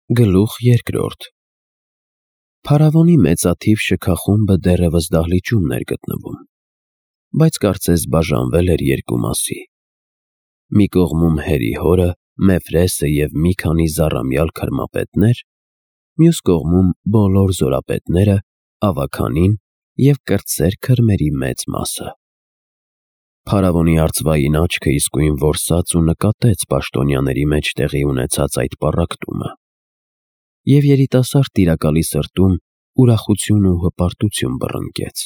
Գլուխ երկրորդ Փարավոնի մեծաթիվ շքախումբը դեռևս դահլիճումն էր գտնվում, բայց կարծես բաժանվել էր երկու մասի. մի կողմում Հերի հորը, Մեֆրեսը և մի քանի զառամյալ քրմապետներ, մյուս կողմում բոլոր զորապետները, ավագանին և կրտսեր քրմերի մեծ մասը։ Փարավոնի արծվային աչքը իսկույն որսաց ու նկատեց պաշտոնյաների մեջ տեղի ունեցած այդ պառակտումը, և երիտասարդ տիրակալի սրտում ուրախություն ու հպարտություն բռնկեց։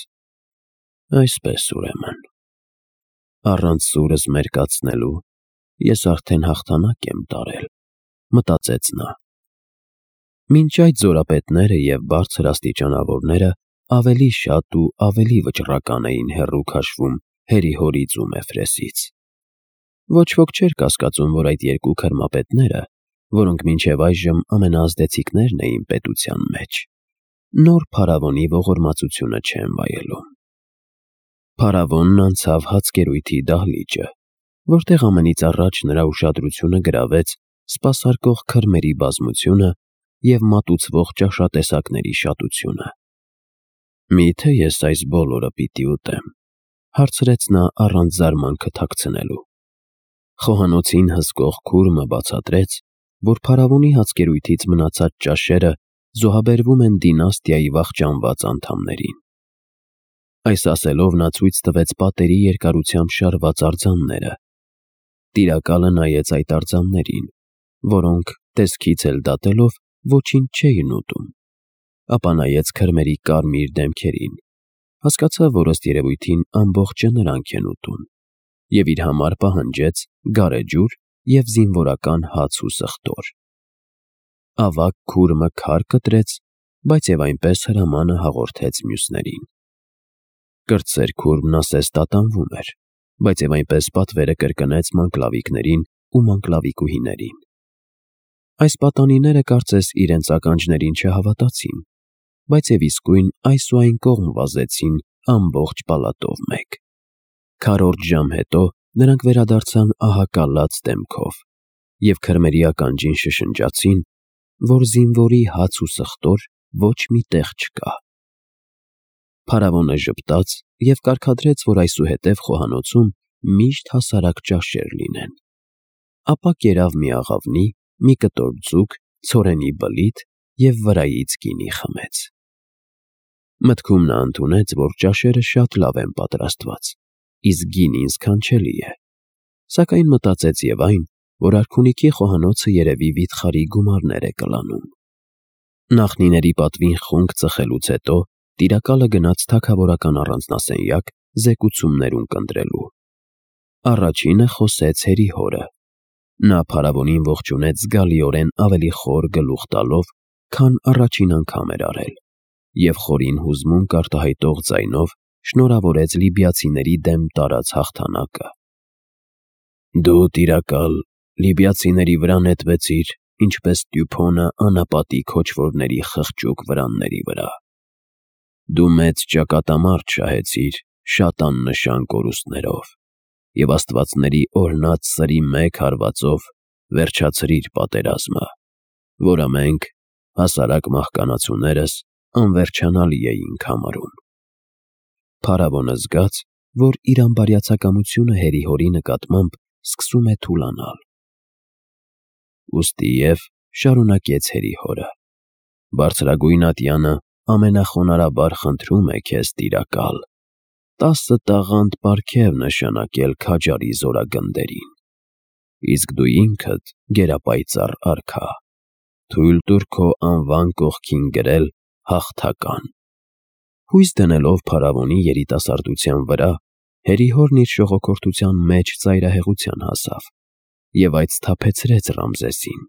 Այսպես ուրեմն, առանց սուրս մերկացնելու ես արդեն հաղթանակ եմ տարել, մտածեց նա։ Մինչ այդ զորապետները և բարձր աստիճանավորները ավելի շատ ու ավելի վճռական էին հեռու քաշվում Հերի հորից ու Մեֆրեսից։ Ոչ ոք չէր կասկածում, որ այդ երկու քրմապետները, որոնք մինչև այժմ ամենաազդեցիկներն էին պետության մեջ, նոր փարավոնի ողորմածությունը չեն վայելում։ Փարավոնն անցավ հացկերույթի դահլիճը, որտեղ ամենից առաջ նրա ուշադրությունը գրավեց սպասարկող քրմերի բազմությունը և մատուցվող ճաշատեսակների շատությունը։ «Միթե ես այս բոլորը պիտի ուտեմ», հարցրեց նա առանց զարմանքը թաքցնելու։ Խոհանոցին հսկող քուրմը բացատրեց, որ փարավոնի հացկերույթից մնացած ճաշերը զոհաբերվում են դինաստիայի վախճանված անդամներին։ Այս ասելով նա ցույց տվեց պատերի երկարությամբ շարված արձանները։ Տիրակալը նայեց այդ արձաններին, որոնք, տեսքից էլ դատելով, ոչինչ չէին ուտում, ապա նայեց քրմերի կարմիր դեմքերին, հասկացավ, որ ըստ երևույթին ամբողջը նրանք են ուտում, և իր համար պահանջեց գարեջուր և զինվորական հաց ու սխտոր։ Ավագ քուրմը քար կտրեց, բայց և այնպես հրամանը հաղորդեց մյուսներին։ Կրտսեր քուրմն ասես տատանվում էր, բայց և այնպես պատվերը կրկնեց մանկլավիկներին ու մանկլավիկուհիներին։ Այս պատանիները կարծես իրենց ականջներին չհավատացին, բայց և իսկույն այս ու այն կողմ վազեցին ամբողջ պալատով մեկ։ Քառորդ ժամ հետո նրանք վերադարձան ահակալած դեմքով և քրմերի ականջին շշնջացին, որ զինվորի հաց ու սխտոր ոչ մի տեղ չկա։ Փարավոնը ժպտաց և կարգադրեց, որ այսուհետև խոհանոցում միշտ հասարակ ճաշեր լինեն։ Ապա կերավ մի աղավնի, մի կտոր ձուկ, ցորենի բլիթ և վրայից գինի խմեց։ Մտքում նա ընդունեց, որ ճաշերը շատ լավ են պատրաստված, իսկ գինին սքանչելի է, սակայն մտածեց և այն, որ արքունիքի խոհանոցը երևի վիթխարի գումարներ է կլանում։ Նախնիների պատվին խունկ ծխելուց հետո տիրակալը գնաց թագավորական առանձնասենյակ զեկուցումներ ունկնդրելու։ Առաջինը խոսեց Հերի հորը։ Նա փարավոնին ողջունեց զգալիորեն ավելի խոր գլուխ տալով, քան առաջին անգամ էր արել, և խորին հուզմունք արտահայտող ձայնով շնորհավորեց լիբիացիների դեմ տարած հաղթանակը։ «Դու, տիրակալ, լիբիացիների վրա նետվեցիր, ինչպես տյուփոնը անապատի քոչվորների խղճուկ վրանների վրա։ Դու մեծ ճակատամարտ շահեցիր շատ աննշան կորուստներով և աստվածների օրհնած սրի մեկ հարվածով վերջացրիր պատերազմը, որը մենք, հասարակ մահկանացուներս, անվերջանալի էինք համարում»։ Փարավոնը զգաց, որ իր անբարյացակամությունը Հերի հորի նկատմամբ սկսում է թուլանալ։ Ուստիև շարունակեց Հերի հորը. «Բարձրագույն ատյանը ամենախոնարհաբար խնդրում է քեզ, տիրակալ, 10 տաղանդ պարգև նշանակել քաջարի զորագնդերին, իսկ դու ինքդ, գերապայծառ արքա, թույլ տուր քո անվան կողքին գրել «հաղթական»»։ Հույս դնելով փարավոնի երիտասարդության վրա, Հերի հորն իր ժողոքորթության մեջ ծայրահեղության հասավ և այդ սթափեցրեց Ռամզեսին։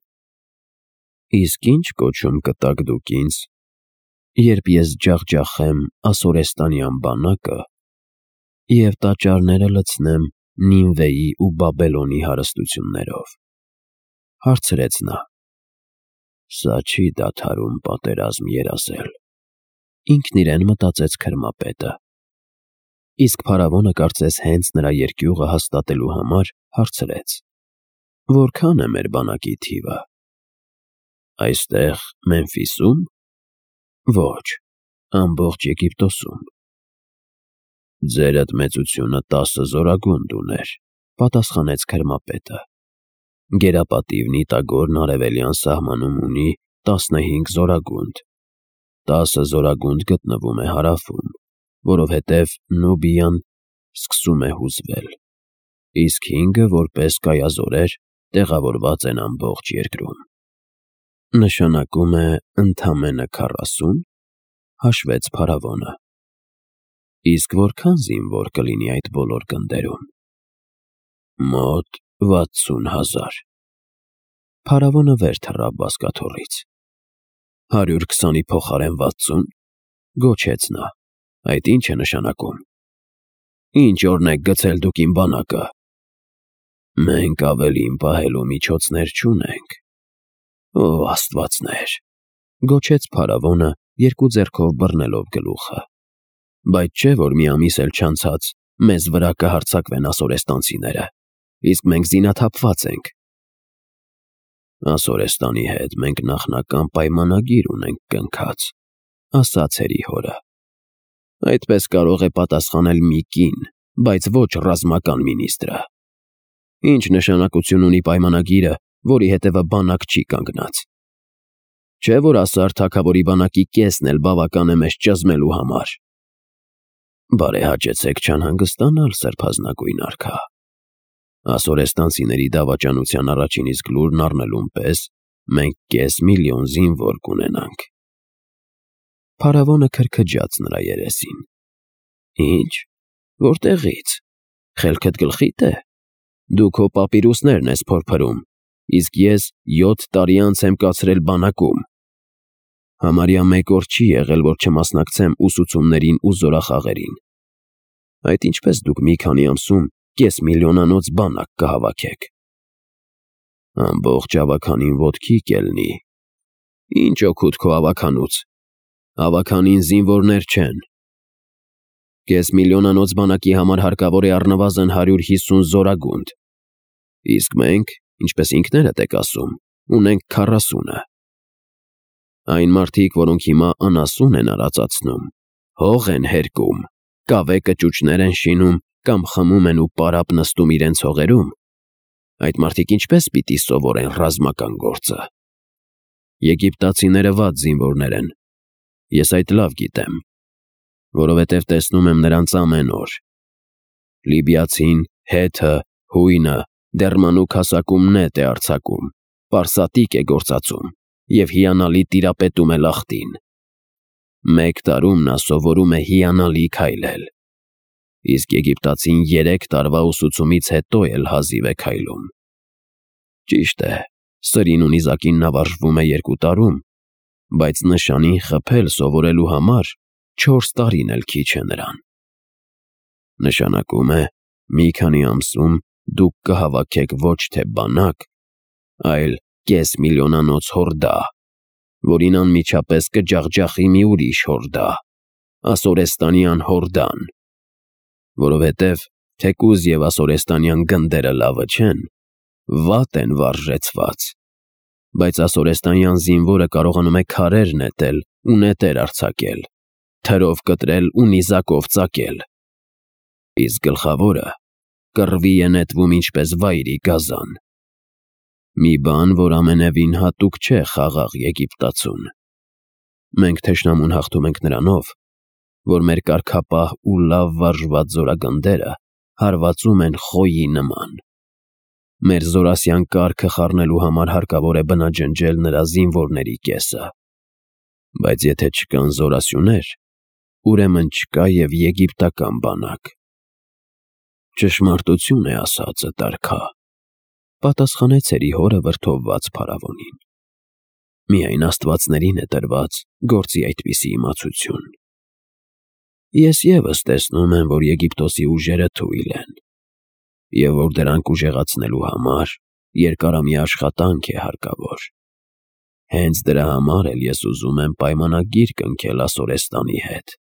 «Իսկ ի՞նչ կոչում կտաք դուք ինձ, երբ ես ջախջախեմ ասորեստանյան բանակը և տաճարները լցնեմ Նինվեի ու Բաբելոնի հարստություններով», հարցրեց նա։ «Սա չի դադարում պատերազմ երազել», ինքն իրեն մտածեց քրմապետը։ Իսկ փարավոնը կարծես հենց նրա երկյուղը հաստատելու համար հարցրեց. «Որքան է մեր բանակի թիվը»։ Այստեղ Մեմֆիսում։ Ոչ, ամբողջ Եգիպտոսում։ Ձերդ մեծությունը 10 զորագունդ ուներ, պատասխանեց քրմապետը։ Գերապատիվ Նիտագորն արևելյան սահմանում ունի 15 զորագունդ։ 10 զորագունդ գտնվում է հարավում, որովհետև Նուբիան սկսում է հուզվել, իսկ 5-ը որպես կայազորեր տեղավորված են ամբողջ երկրում։ Նշանակում է ընդամենը 40, հաշվեց փարավոնը։ Իսկ որքան զինվոր կլինի այդ բոլոր գնդերում։ Մոտ 60,000։ Փարավոնը վեր թռավ բազկաթոռից։ 120-ի փոխարեն 60, գոչեց նա։ Այդ ինչ է նշանակում։ Ինչ օրն եք գցել դուք իմ բանակը։ Մենք ավելին պահելու միջոցներ չունենք։ Ո աստվածներ, գոչեց փարավոնը, երկու ձեռքով բռնելով գլուխը։ Բայց չէ, որ մի ամիս էլ չանցած մեզ վրա կհարձակվեն ասորեստանցիները, իսկ մենք զինաթափված ենք։ Ասորեստանի հետ մենք նախնական պայմանագիր ունենք կնքած, ասաց հորը։ Այդպես կարող է պատասխանել մի կին, բայց ոչ ռազմական մինիստրը։ Ինչ նշանակություն ունի պայմանագիրը, որի հետևը բանակ չի կանգնած։ Չէ՞ որ ասար թագավորի բանակի կեսն էլ բավական է մեզ ճզմելու համար։ Բարեհաճեցեք չանհանգստանալ, սրբազնագույն արքա։ Ասորեստանցիների դավաճանության առաջին իսկ լուրն առնելուն պես մենք 500,000 զինվոր կունենանք։ Փարավոնը քրքջաց նրա երեսին։ Ինչ, որտեղից, խելքդ գլխիդ է։ Դու քո պապիրուսներն ես փորփրում, իսկ ես 7 տարի անց եմ կացրել բանակում։ Համարյա 1 օր չի եղել, որ չմասնակցեմ ուսուցումներին ու զորախաղերին։ Այդ ինչպես դուք մի քանի ամսում 500,000-անոց բանակ կհավաքեք։ Ամբողջ ավականին ոտքի կելնի։ Ինչ օգուտ քո ավականուց։ Ավականին զինվորներ չեն։ 500,000-անոց բանակի համար հարկավոր է առնվազն 150 զորագունդ։ Իսկ մենք, ինչպես ինքներդ եք ասում, ունենք 40-ը։ Այն մարդիկ, որոնք հիմա անասուն են արածացնում, հող են հերկում, կավե կճուճներ են շինում կամ խմում են ու պարապ նստում իրենց հողերում, այդ մարդիկ ինչպես պիտի սովորեն ռազմական գործը։ Եգիպտացիները վատ զինվորներ են։ Ես այդ լավ գիտեմ, որովհետև տեսնում եմ նրանց ամեն օր։ Լիբիացին, հեթը, հույնը դեռ մանուկ հասակում նետ է արձակում, պարսատիկ է գործածում և հիանալի տիրապետում է լախտին։ 1 տարում նա սովորում է հիանալի քայլել, իսկ եգիպտացին 3 տարվա ուսուցումից հետո էլ հազիվ է քայլում։ Ճիշտ է, սրին ու նիզակին նա վարժվում է 2 տարում, բայց նշանին խփել սովորելու համար 4 տարին էլ քիչ է նրան։ Նշանակում է, մի քանի ամսում դուք կհավաքեք ոչ թե բանակ, այլ 500,000-անոց հորդա, որին անմիջապես կջախջախի մի ուրիշ հորդա, ասորեստանյան հորդան, որովհետև թեկուզ և ասորեստանյան գնդերը լավը չեն, վատ են վարժեցված, բայց ասորեստանյան զինվորը կարողանում է քարեր նետել ու նետեր արձակել, թրով կտրել ու նիզակով ծակել, իսկ գլխավորը կռվի է նետվում ինչպես վայրի գազան։ Մի բան, որ ամենևին հատուկ չէ խաղաղ Եգիպտացուն։ Մենք թշնամուն հաղթում ենք նրանով, որ մեր կարգապահ ու լավ վարժված զորագնդերը հարվածում են խոյի նման։ Մեր զորասյան կարգը խառնելու համար հարկավոր է բնաջնջել նրա զինվորների կեսը։ Բայց եթե չկան զորասյուներ, ուրեմն չկա և եգիպտական բանակ։ Ճշմարտություն է ասածդ, արքա, պատասխանեց հորը վրդովված փարավոնին։ Միայն աստվածներին է տրված գործի այդպիսի իմացություն։ Ես ևս տեսնում եմ, որ Եգիպտոսի ուժերը թույլ են, և որ դրանք ուժեղացնելու համար երկարամյա աշխատանք է հարկավոր։ Հենց դրա համար էլ ես ուզում եմ պայմանագիր կնքել Ասորեստանի հետ,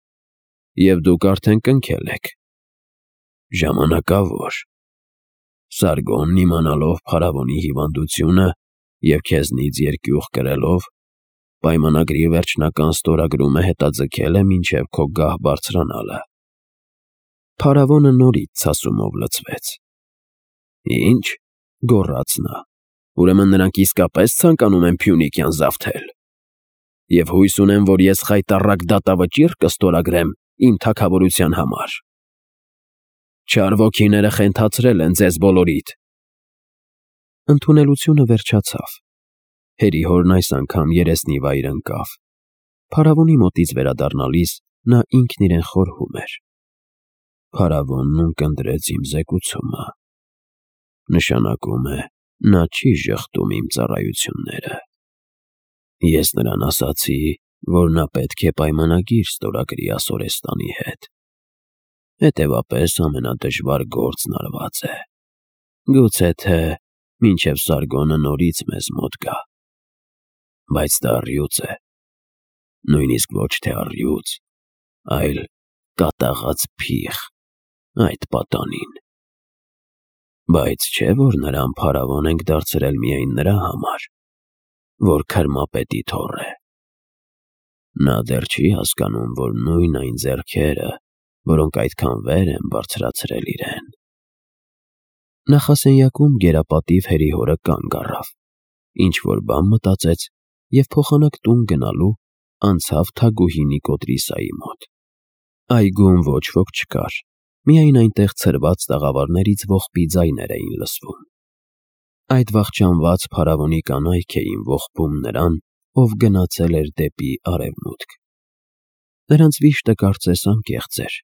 և դուք արդեն կնքել եք։ Ժամանակավոր։ Սարգոնն իմանալով փարավոնի հիվանդությունը, և քեզնից երկյուղ կրելով պայմանագրի վերջնական ստորագրումը հետաձգել է մինչև քո գահ բարձրանալը։ Փարավոնը նորից ցասումով լցվեց։ Ինչ, գոռաց նա, ուրեմն նրանք իսկապես ցանկանում են Փյունիկյան զավթել։ Եվ հույս ունեմ, որ ես խայտառակ դատավճիռ կստորագրեմ իմ թագավորության համար։ Չար ոգիները խենթացրել են ձեզ բոլորիդ։ Ընդունելությունը վերջացավ։ Հերիհորն այս անգամ երեսնի վայր ընկավ։ Փարավոնի մոտից վերադառնալիս նա ինքն իրեն խորհում էր. Փարավոնն ունկնդրեց իմ զեկուցումը։ Նշանակում է, նա չի ժխտում իմ ծառայությունները։ Ես նրան ասացի, որ նա պետք է պայմանագիր ստորագրի Ասորեստանի հետ։ Հետևաբար ամենադժվար գործն արված է։ Գուցե թե մինչև Սարգոնը նորից մեզ մոտ գա։ Բայց դա առյուծ է։ Նույնիսկ ոչ թե առյուծ, այլ կատաղած փիղ, այդ պատանին։ Բայց չէ՞ որ նրան փարավոն ենք դարձրել միայն նրա համար, որ քրմապետի թոռ է։ Նա դեռ չի հասկանում, որ նույն այն ձեռքերը, որոնք այդքան վեր են բարձրացրել իրեն։ Նախասենյակում գերապատիվ հերիհորը կանգ առավ, ինչ-որ բան մտածեց և փոխանակ տուն գնալու անցավ Թագուհի Նիկոդրիսայի մոտ։ Այգում ոչ ոք չկար, միայն այնտեղ ցրված տաղավարներից ողբի ձայներ էին լսվում։ Այդ վախճանված փարավոնի կանայք էին ողբում նրան, ով գնացել էր դեպի արևմուտք։ Նրանց վիշտը կարծես անկեղծ էր,